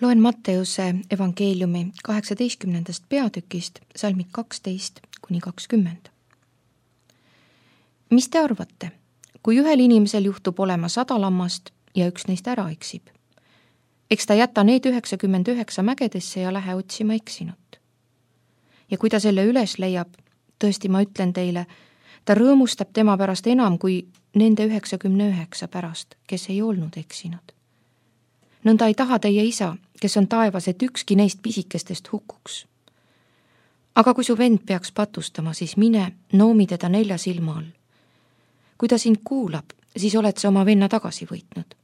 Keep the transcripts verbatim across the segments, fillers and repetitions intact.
Loen Matteuse evangeeliumi kaheksateistkümnendast peatükist salmid kaksteist kuni kakskümmend. Mis te arvate, kui ühel inimesel juhtub olema sada lammast ja üks neist ära eksib? Eks ta jäta need üheksakümmend üheksa mägedesse ja lähe otsima eksinut. Ja kui ta selle üles leiab, tõesti ma ütlen teile, ta rõõmustab tema pärast enam kui nende üheksakümne üheksa pärast, kes ei olnud eksinud. Nõnda ei taha teie isa, kes on taevas, et ükski neist pisikestest hukuks. Aga kui su vend peaks patustama, siis mine, noomi teda nelja silma all. Kui ta sind kuulab, siis oled sa oma venna tagasi võitnud.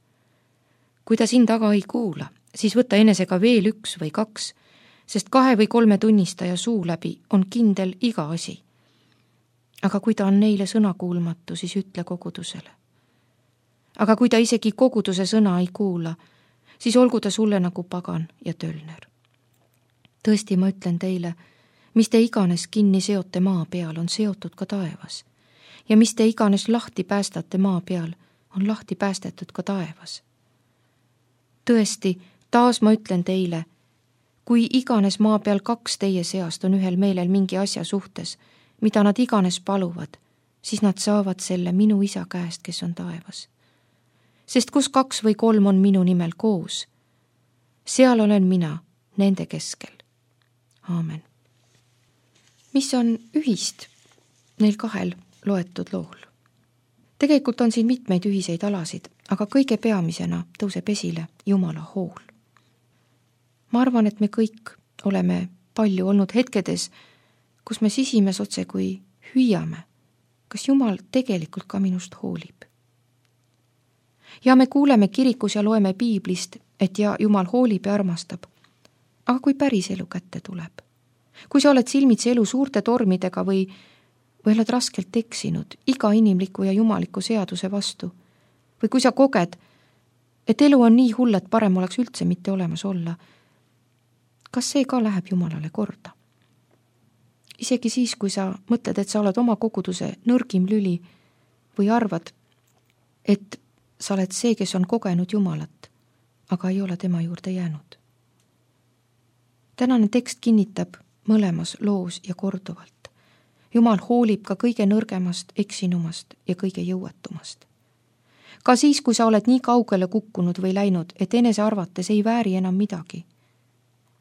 Kui ta sind taga ei kuula, siis võta enesega veel üks või kaks, sest kahe või kolme tunnistaja suu läbi on kindel iga asi. Aga kui ta on neile sõna kuulmatu, siis ütle kogudusele. Aga kui ta isegi koguduse sõna ei kuula, siis olgu ta sulle nagu pagan ja tölner. Tõesti, ma ütlen teile, mis te iganes kinni seote maa peal, on seotud ka taevas. Ja mis te iganes lahti päästate maa peal, on lahti päästetud ka taevas. Tõesti, taas ma ütlen teile, kui iganes maa peal kaks teie seast on ühel meelel mingi asja suhtes, mida nad iganes paluvad, siis nad saavad selle minu isa käest, kes on taevas. Sest kus kaks või kolm on minu nimel koos, seal olen mina nende keskel. Aamen. Mis on ühist neil kahel loetud lool? Tegelikult on siin mitmeid ühiseid alasid, aga kõige peamisena tõuseb esile Jumala hool. Ma arvan, et me kõik oleme palju olnud hetkedes, kus me sisimes otse kui hüüame, kas Jumal tegelikult ka minust hoolib. Ja me kuuleme kirikus ja loeme piiblist, et ja Jumal hoolib ja armastab. Aga kui päris elu kätte tuleb? Kui sa oled silmitsi elu suurte tormidega või, või oled raskelt eksinud iga inimliku ja jumaliku seaduse vastu? Või kui sa koged, et elu on nii hull, et parem oleks üldse mitte olemas olla? Kas see ka läheb Jumalale korda? Isegi siis, kui sa mõtled, et sa oled oma koguduse nõrgim lüli või arvad, et sa oled see, kes on kogenud Jumalat, aga ei ole tema juurde jäänud. Tänane tekst kinnitab mõlemas loos ja korduvalt. Jumal hoolib ka kõige nõrgemast, eksinumast ja kõige jõuetumast. Ka siis, kui sa oled nii kaugele kukkunud või läinud, et enese arvates ei vääri enam midagi.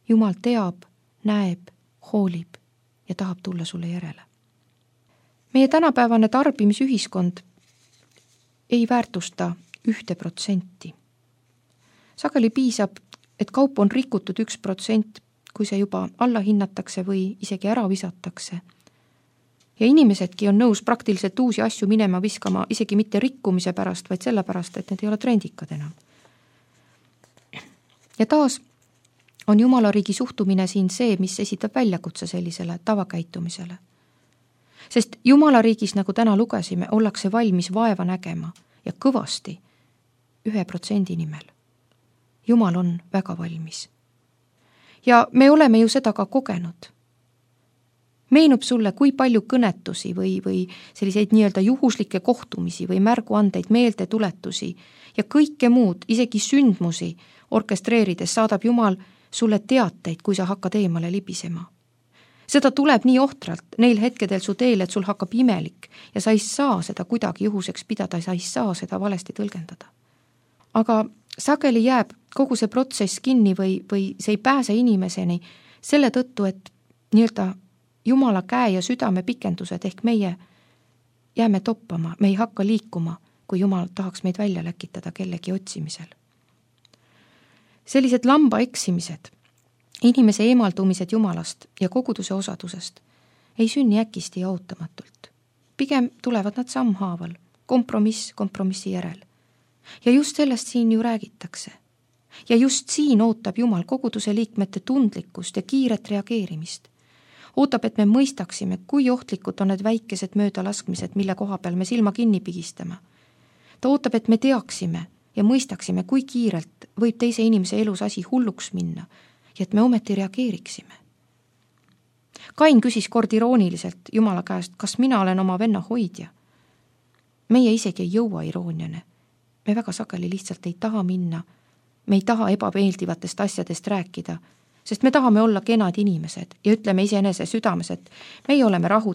Jumal teab, näeb, hoolib ja tahab tulla sulle järele. Meie tänapäevane tarbimisühiskond ei väärtusta ühte protsenti. Sageli piisab, et kaup on rikutud üks protsent, kui see juba alla hinnatakse või isegi ära visatakse. Ja inimesedki on nõus praktiliselt uusi asju minema viskama isegi mitte rikkumise pärast, vaid selle pärast, et need ei ole trendikad enam. Ja taas on Jumala riigi suhtumine siin see, mis esitab väljakutse sellisele tavakäitumisele. Sest Jumala riigis, nagu täna lugesime, ollakse valmis vaeva nägema ja kõvasti ühe protsendi nimel. Jumal on väga valmis. Ja me oleme ju seda ka kogenud. Meenub sulle, kui palju kõnetusi või, või selliseid nii-öelda juhuslikke kohtumisi või märguandeid, meeldetuletusi ja kõike muud, isegi sündmusi orkestreerides saadab Jumal sulle teateid, kui sa hakkad eemale libisema. Seda tuleb nii ohtralt neil hetkedel su teel, et sul hakkab imelik ja sa ei saa seda kuidagi juhuseks pidada, sa ei saa seda valesti tõlgendada. Aga sageli jääb kogu see protsess kinni või, või see ei pääse inimeseni selle tõttu, et nii-öelda Jumala käe ja südame pikendused ehk meie jääme toppama, me ei hakka liikuma, kui Jumal tahaks meid välja läkitada kellegi otsimisel. Sellised lamba eksimised, inimese eemaldumised Jumalast ja koguduse osadusest ei sünni äkisti ja ootamatult. Pigem tulevad nad sammhaaval, kompromiss kompromissi järel. Ja just sellest siin ju räägitakse. Ja just siin ootab Jumal koguduse liikmete tundlikkust ja kiiret reageerimist. Ootab, et me mõistaksime, kui ohtlikud on need väikesed möödalaskmised, mille koha peal me silma kinni pigistame. Ta ootab, et me teaksime ja mõistaksime, kui kiirelt võib teise inimese elus asi hulluks minna ja et me ometi reageeriksime. Kain küsis kord irooniliselt Jumala käest, kas mina olen oma venna hoidja. Meie isegi ei jõua irooniane. Me väga sageli lihtsalt ei taha minna me ei taha ebameeldivatest asjadest rääkida, sest me tahame olla kenad inimesed ja ütleme iseenese südames, et meie oleme rahu